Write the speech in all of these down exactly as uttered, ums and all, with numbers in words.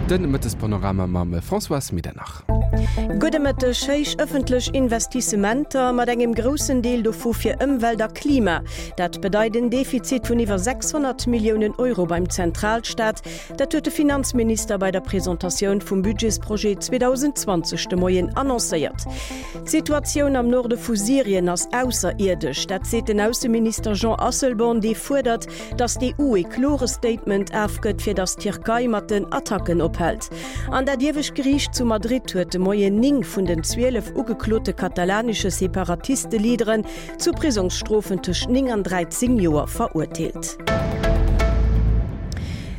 De Mëttespanorama mam Françoise Medernach. Gudde Mëtteg. Héich ëffentlech Investissementer, mat engem groussen Deel dovu fir Ëmwelt a Klima. Dat bedeit en Defizit vun iwwer sechshonnert Milliounen Euro beim Zentralstaat. Dat huet de Finanzminister bei der Presentatioun vum Budgetsprojet zweedausendzwanzeg de Moien annoncéiert. D'Situatioun am Norde vu Syrien ass ausserierdesch. Dat seet den Ausseminister Jean Asselborn, dee fuerdert, datt d'E U e klore Statement afgëtt, fir datt d'Tierkei mat den Attacken ophält. An dat Iewescht Geriicht zu Madrid huet de Moien néng vun den zwielef ugeklote katalanesche Separatiste-Leaderen zu Prisongsstrofen tëscht néng an dräizéng Joer verurteelt.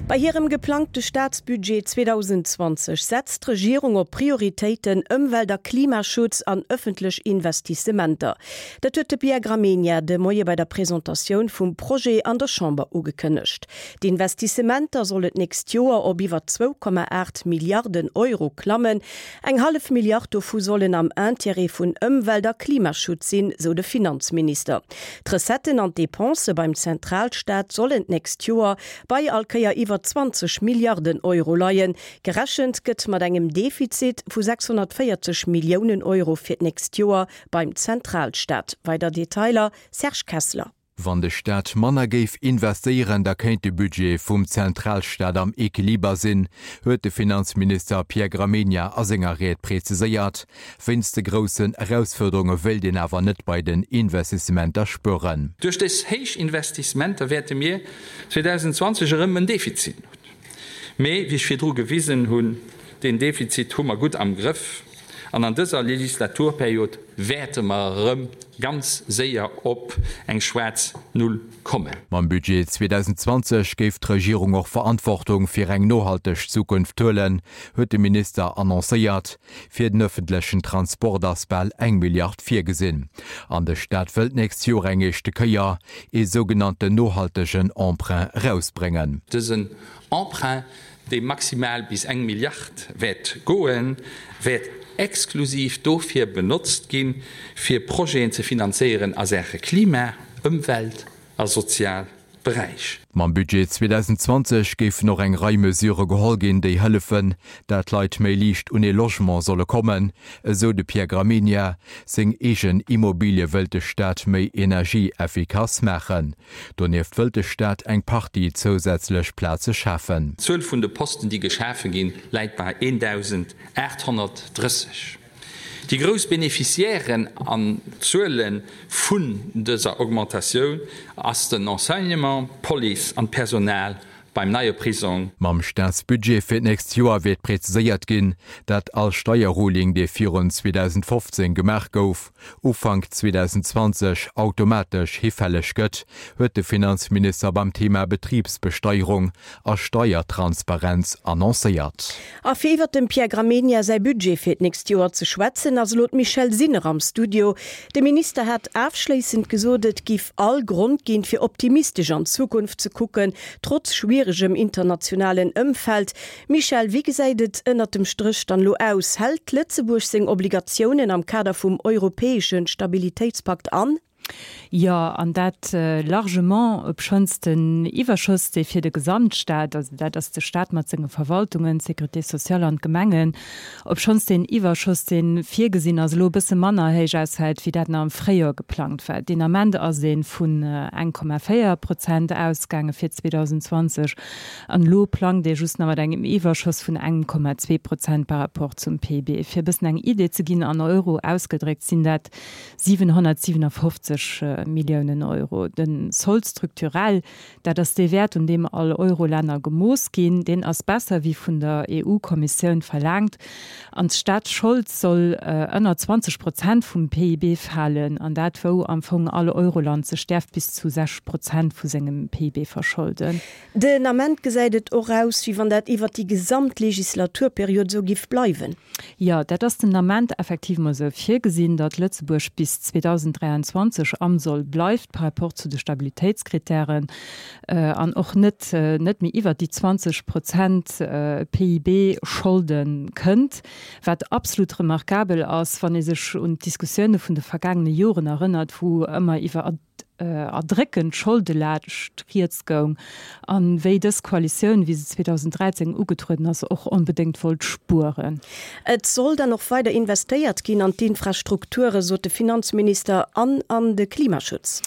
Bei hirem geplangte Staatsbudget zweedausendzwanzeg setzt d'Regierung op Prioritéiten Ëmwelt a Klimaschutz an ëffentlech Investissementer. Dat huet de Pierre Gramegna de Moie bei der Presentatioun vum Projet an der Chamber ugekënnegt. D'Investissementer sollen d'nächst Joer op iwwer zwou Komma aacht Milliarden Euro klammen. Eng hallef Milliard dovu sollen am Interêt vun Ëmwelt a Klimaschutz sinn, sou de Finanzminister. D'Recetten an d'Depensë beim Zentralstaat sollen d'nächst Joer bei all Kéier iwwer zwanzeg Milliarden Euro leien. Gerechent gëtt mat engem Defizit vu sechshonnertvéierzeg Milliounen Euro fir d'nächst Joer beim Zentralstaat. Weider Detailer, Serge Kessler. Wann de Staat manner géif investéieren, da kéint de Budget vum Zentralstaat am Equiliber sinn, huet de Finanzminister Pierre Gramegna a senger Ried preziséiert. Wéinst de groussen Erausfuerderunge wéilt een awer net bei den Investissementer spueren. Duerch dës héich Investissementer wäerte mir zweedausendzwanzeg erëm en Defizit hunn. Mee, wéi ech virdru gewisen hunn, deen Defizit hu mer gutt am Grëff an an dëser Legislaturperiod wäerte mer erëm ganz séier op eng schwaarz Null kommen. Mam Budget zweedausendzwanzeg géif d'Regierung och Verantwortung fir eng nohalteg Zukunft huelen, huet de Minister annoncéiert. Fir den ëffentlechen Transport ass bal eng Milliard virgesinn. An de Staat wëllt d'nächst Joer eng éischte Kéier ee sougenannten nohaltegen Emprunt erausbréngen. Dësen Emprunt, dee maximal bis eng Milliard wäert goen, wäert exklusiv dofir benotzt ginn, fir Projeten ze finanzéieren a Saache Klima, Ëmwelt a sozial Beräich. Mam Budget zweedausendzwanzeg géifen och eng Rei Mesure geholl ginn, déi hëllefen, dat d'Leit méi liicht un ee Logement solle kommen, esou de Pierre Gramegna. Seng eegen Immobilie wëllt de Staat méi energieeffikass maachen. Donieft wëllt de Staat eng Partie zousätzlech Plaze schafen. D'Zuel vun de Posten, déi geschafe ginn, läit bei eendausendaathonnertdrësseg. Déi grouss Beneficiairen an Zuele vun dëser Augmentatioun ass den Enseignement, d'Police an d'Personal beim neie Prisong. Mam Staatsbudget fir d'nächst Joer wäert präziséiert ginn, dat all Steierruling, dee virun zweedausendfofzéng gemaach gouf, Ufank zweedausendzwanzeg automatesch hifälleg gëtt, huet de Finanzminister beim Thema Betribsbesteierung a Steiertransparenz annoncéiert. A fir iwwert dem Pierre Gramegna säi Budget fir d'nächst Joer ze schwätzen, ass elo d'Michèle Sinner am Studio. De Minister hat afschléissend gesot, et giff all Grond ginn, fir optimistesch an d'Zukunft ze kucken, trotz schwieregem internationalen Ëmfeld. Michèle, wéi gesäit et ënnert dem Stréch dann elo aus? Hält Lëtzebuerg seng Obligatiounen am Kader vum europäesche Stabilitéitspakt an? Jo, an dat largement, obschonns den Iwwerschoss, dee fir de Gesamtstaat, also dat ass de Staat mat senge Verwaltungen, d'Sécurité sociale an d'Gemengen, obschonns deen Iwwerschoss, dee virgesinn ass, elo e bësse manner héich ausfält, wéi dat nach am Fréijoer geplangt war. Deen Ament ass ee vun eng Komma véier Prozent ausgaange fir zweedausendzwanzeg an elo plangt ee just nach mat engem Iwwerschoss vun engem Komma zwee Prozent par rapport zum P I B. Fir e bëssen eng Idee ze ginn, an Euro ausgedréckt sinn dat siwenhonnertsiwenofofzeg Milliounen Euro. De Solde structurel, dat ass dee Wäert, un deem all Eurolänner gemooss ginn, deen ass besser wéi vun der E U-Kommissioun verlaangt. An d'Staatsschold soll ënner zwanzeg Prozent vum P I B falen, an dat wou am Fong all Euroland sech däerf bis zu sechs Prozent vu sengem P I B verscholden. Den Ament gesäit et och aus, wéi wann dat iwwert déi gesamt Legislaturperiod esou giff bleiwen. Jo, dat ass den Ament effectivement esou virgesinn, datt Lëtzebuerg bis zweedausenddräianzwanzeg am Soll bleift par rapport zu de Stabilitéitskritären an och net net méi iwwert déi zwanzeg Prozent P I B Scholde kënnt, wat absolut remarkabel ass, wann ee sech un d'Diskussioune vun de vergaangene Joren erënnert, wou ëmmer iwwer erdréckend Scholdelaascht rieds goung an wéi dës Koalitioun, wéi se zweedausenddräizéng ugetrueden ass, och onbedéngt wollt spueren. Et soll dann och weider investéiert ginn an d'Infrastrukture, sot de Finanzminister, an an de Klimaschutz.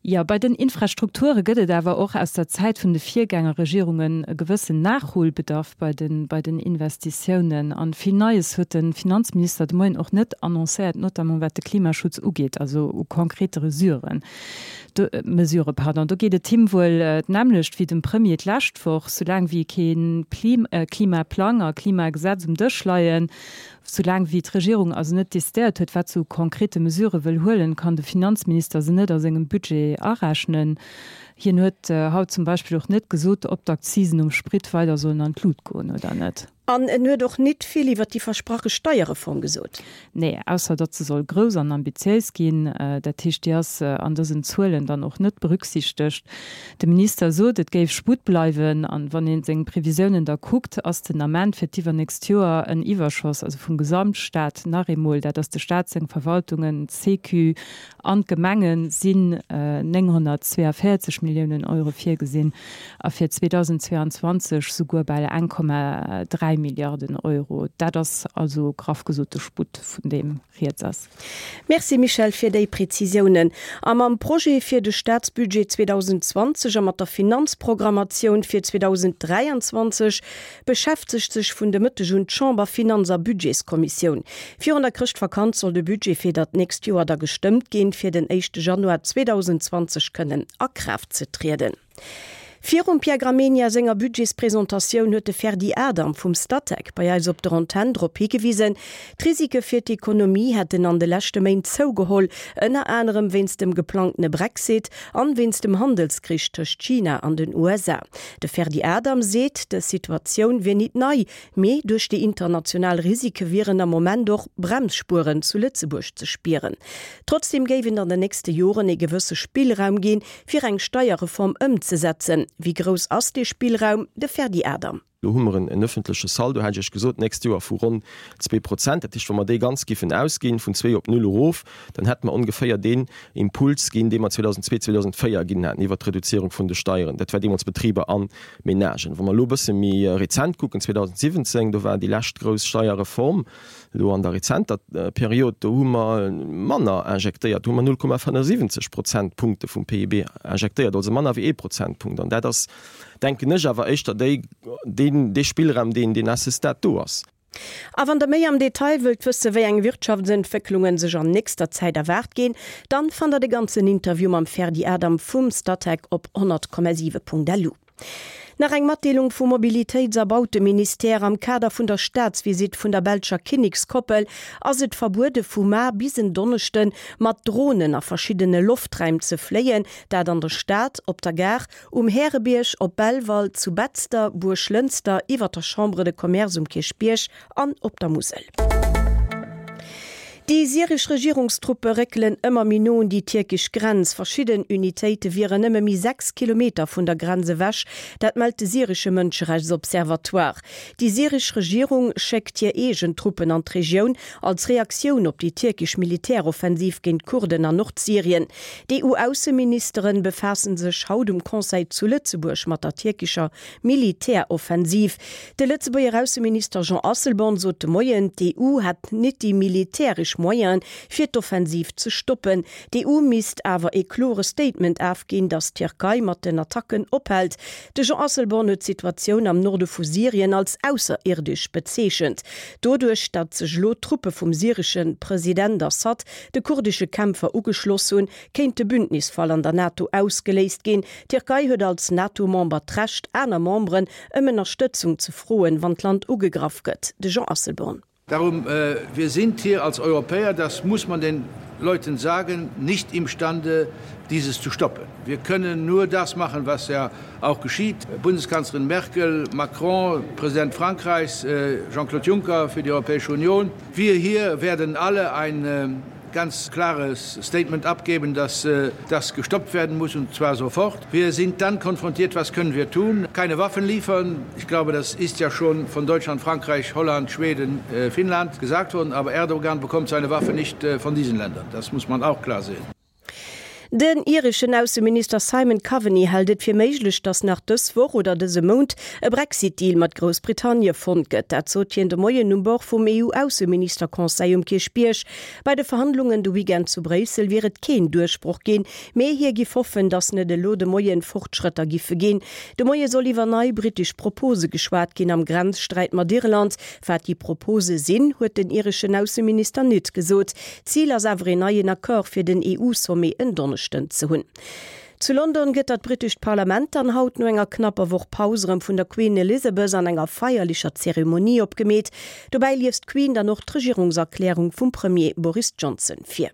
Jo, bei den Infrastrukture gëtt et awer och aus der Zäit vun de Virgängerregierungen e gewëssen Nachholbedarf bei den, bei den Investitiounen. An vill Neies huet de Finanzminister de Moien och net annoncéiert, notamment wat de Klimaschutz ugeet, also u konkrete Resuren, do, Mesurë, pardon. Do geet et him wuel d'nämmlecht wéi dem Premier d'lescht Woch, Soulaang wéi kee Klimaplang a Klimagesetz um Dësch leien, Soulaang wéi d'Regierung also net decidéiert huet, wat se u konkrete Mesurë wëll huelen, kann de Finanzminister se net a sengem Budget arechnen. Hien huet haut zum Beispill och net gesot, ob d'Akzisen um Sprit weider sollen an d'Lut goen oder net. An en huet och nit vill iwwer déi versprache Steierreform gesot. Nee, ausser datt se soll grouss an ambitiéis ginn. Dat heescht, déi ass an dësen Zuelen dann och net berücksichtegt. De Minister sot, et géif Sputt bleiwen. An wann ee seng Previsiounen da kuckt, ass den Ament fir d'iwwernächst Joer en Iwwerschoss, also vum Gesamtstaat nach eemol, dat ass de Staat, seng Verwaltungen, d'Sécu an d'Gemengen, sinn nénghonnertzweeavéierzeg Milliounen Euro virgesinn a fir zweedausendzweeanzwanzeg souguer bal eng Komma dräi Milliarden Euro. Dat ass also graff gesot de Sputt, vun deem rieds ass. Merci Michèle fir déi Prezisiounen. A mam Projet fir de Staatsbudget zweedausendzwanzeg a mat der Finanzprogrammatioun fir zweedausenddräianzwanzeg beschäftegt sech vun de Mëtteg un d'Chamber-Finanz a Budgetskommissioun. Virun der Chrëschtvakanz soll de Budget fir dat nächst Joer da gestëmmt ginn, fir den éischte Januar zweedausendzwanzeg kënnen a Kraaft ze trieden. Virum Pierre Gramegna senger Budgetspresentatioun huet de Ferdy Adam vum Statec bei eis op der Antenn drop higewisen, d'Risike fir d'Ekonomie hätten an de leschte Méint zougeholl, ënner anerem wéinst dem geplangtene Brexit an wéinst dem Handelskrich tëscht China an den U S A. De Ferdy Adam seet, dës Situatioun wier nit nei, mee duerch déi international Risike wieren am Moment och Bremsspueren zu Lëtzebuerg ze spieren. Trotzdeem géif et an den nächste Joren ee gewësse Spillraum ginn, fir eng Steierreform ëmzesetzen. Wéi grouss ass dee Spillraum? De Ferdy Adam. Do hu mer en ëffentleche Saldo, hat ech Iech gesot, d'nächst Joer vu ronn zwee Prozent. Dat heescht, wa mer dee ganz giffen ausginn, vun zwee op null erof, dann hätte mer ongeféier deen Impuls ginn, dee mer zweedausendzwee, zweedausendzvéier ginn haten iwwert d'Reduzierung vun de Steieren. Dat war deemools Betriber a Menagen. Wa mer elo e bësse méi rezent kucken, zweedausensiwwenzéng, do war déi lescht grouss Steierreform, elo an der rezenter Period, do hu mer manner injektéiert, do hu mer null Komma fënnefundsiwwenzeg Prozentpunkte vum P I B injektéiert, also manner wéi ee Prozentpunkt. An dat ass, denken ech, awer éischter déi, deen, dee Spillraum, deen, deen à ce stade do ass. A wann der méi am Detail wëllt wësse wéi eng Wirtschaftsentwécklungen sech an nächster Zäit erwaart ginn, dann fannt der de ganzen Interview mam Ferdy Adam vum Statec op honnert Komma siwe Punkt lu. Nach eng Matdeelung vum Mobilitéits a Bauteministère, Am Kader vun der Staatsvisitt vun der belscher Kinnekskoppel ass et verbuede vu mar bis en Donneschde mat Dronen a verschiddene Loftraim ze fléien, dat an der Stad, op der Gare, um Härebierg, op Belval, zu Betzder, Buerglënster, iwwer der Chambre de Commerce um Kierchbierg an op der Musel. Déi syresch Regierungstruppe réckelen ëmmer méi no un déi tierkesch Grenz. Verschidden Unitéite wieren nëmme méi sechs Kilometer vun der Grenz ewech, dat mellt de syresche Mënscherechtsobservatoire. Déi syresch Regierung schéckt hir eegen Truppen an d'Regioun, als Reaktioun op déi tierkesch Militäroffensiv géint d'Kurden an Nordsyrien. D'E U-Ausseministere befaasse sech haut um Conseil zu Lëtzebuerg mat der tierkescher Militäroffensiv. De Lëtzebuerger Ausseminister Jean Asselborn sot de Moien, d'E U hätt net déi militäresch Moyenen, fir d'Offensiv ze stoppen. D'E U misst awer e klore Statement ofginn, datt d'Tierkei mat den Attacken ophält. De Jean Asselborn huet d'Situatioun am Norde vu Syrien als ausserierdesch bezeechent. Doduerch, datt sech elo Truppe vum syresche President Assad de kurdesche Kämpfer ugeschloss hunn, kéint de Bündnisfall an der NATO ausgeléist ginn. D'Tierkei huet als NATO-Member d'Recht, aner Memberen ëm Ënnerstëtzung ze froen, wann d'Land ugegraff gëtt. De Jean Asselborn. Darum, äh, wir sind hier als Europäer, das muss man den Leuten sagen, nicht imstande, dieses zu stoppen. Wir können nur das machen, was ja auch geschieht. Bundeskanzlerin Merkel, Macron, Präsident Frankreichs, äh, Jean-Claude Juncker für die Europäische Union. Wir hier werden alle ein äh, ganz klares Statement abgeben, dass äh, das gestoppt werden muss und zwar sofort. Wir sind dann konfrontiert, was können wir tun? Keine Waffen liefern. Ich glaube, das ist ja schon von Deutschland, Frankreich, Holland, Schweden, äh, Finnland gesagt worden, aber Erdogan bekommt seine Waffen nicht äh, von diesen Ländern. Das muss man auch klar sehen. Den ireschen Ausseminister Simon Coveney hält et fir méiglech, datt nach dës Woch oder dëse Mount e Brexit-Deal mat Groussbritannie fonnt gëtt. Dat sot hien de Moien um Bord vum EU-Ausseministerconseil um Kierchbierg. Bei de Verhandlungen de Weekend zu Bréissel wier et keen Duerchbroch ginn, mee hie giff hoffen, datt net elo de Moien Fortschrëtter giffe ginn. De Moie soll iwwer nei brittesch Propose geschwat ginn am Grenzsträit mat Irland. Wat déi Propose sinn, huet den ireschen Ausseminister net gesot. Zil ass awer een neien Accord fir den EU-Sommet en Donneschden ze hunn. Zu London gëtt dat brittescht Parlament dann haut no enger knapper Woch Paus erëm vun der Queen Elizabeth an enger feierlecher Zeremonie opgemeet. Dobäi liest d'Queen dann och d'Regierungserklärung vum Premier Boris Johnson vir.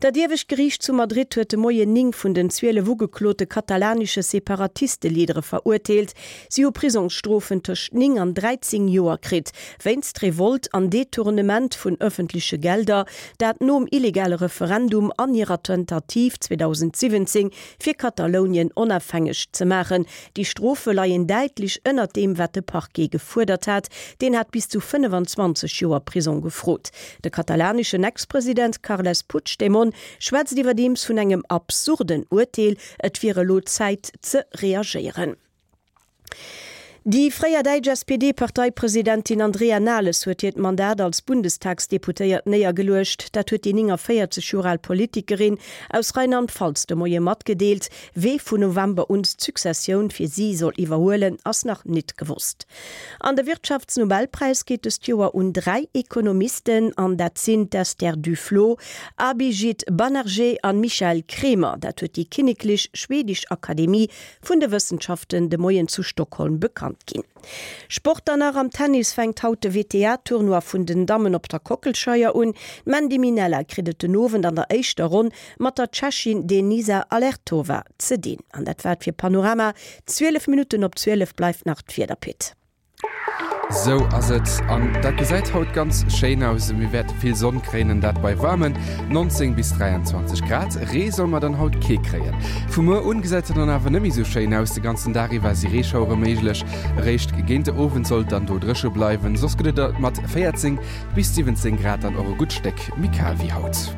Dat iewescht Geriicht zu Madrid huet de Moien néng vun den zwielef ugeklote katalanesche Separatiste-Leadere verurteelt. Si hu Prisongsstrofen tëscht néng an dräizéng Joer kritt, wéinst Revolt an Detournement vun ëffentleche Gelder, dat nom illegale Referendum an hirer Tentativ zweedausendsiwwenzéng fir Katalounien onafhängeg ze maachen. Déi Strofe leien däitlech ënnert deem, wat de Parquet gefuerdert hat, deen hat bis zu fënnefenzwanzeg Joer Prisong gefrot. De katalaneschen Ex-President Carles Puigdemont schwätzt iwwerdeems vun engem absurden Urteel, et wier elo Zäit ze reagéieren. Déi fréier däitsch S P D-Parteipresidentin Andrea Nahles huet hiert Mandat als Bundestagsdeputéiert néiergeluecht. Dat huet déi néngavéierzeg Joer al Politikerin aus Rheinland-Pfalz de Moie matgedeelt. Wee vun November un d'Successioun fir si soll iwwerhuelen, ass nach nit gewosst. An de Wirtschaftsnobelpräis geet dëst Joer un dräi Ekonomisten, an dat sinn d'Esther Duflo, Abhijit Banerjee an Michael Kremer. Dat huet déi Kinneklech Schwedesch Akademie vun de Wëssenschaften de Moien zu Stockholm bekannt ginn. Sport dann nach, Am Tennis fänkt haut de W T A-Tournoi vun den Dammen op der Kockelscheier un. D'Mandy Minella kritt et den Owend an der éischter Ronn mat der Tschechin Denisa Allertova ze dinn. An dat war et fir Panorama. Zwielef Minutten op zwielef bleift nach d'Wieder, Pit. Sou ass et, an dat gesäit haut ganz schéin aus. Mir wäerte vill Sonn kréien, dat bei waarmen neunzéng bis dräianzwanzeg Grad. Ree solle mer dann haut kee kréien. Vu muer un gesäit et dann awer net méi sou schéin aus, de ganzen Dag iwwer si Reeschauere méiglech. Eréischt géint de Owend soll et dann do dréche bleiwen, soss gëtt et mat véierzéng bis siwwenzéng Grad dann och e gutt Stéck méi kal wéi haut.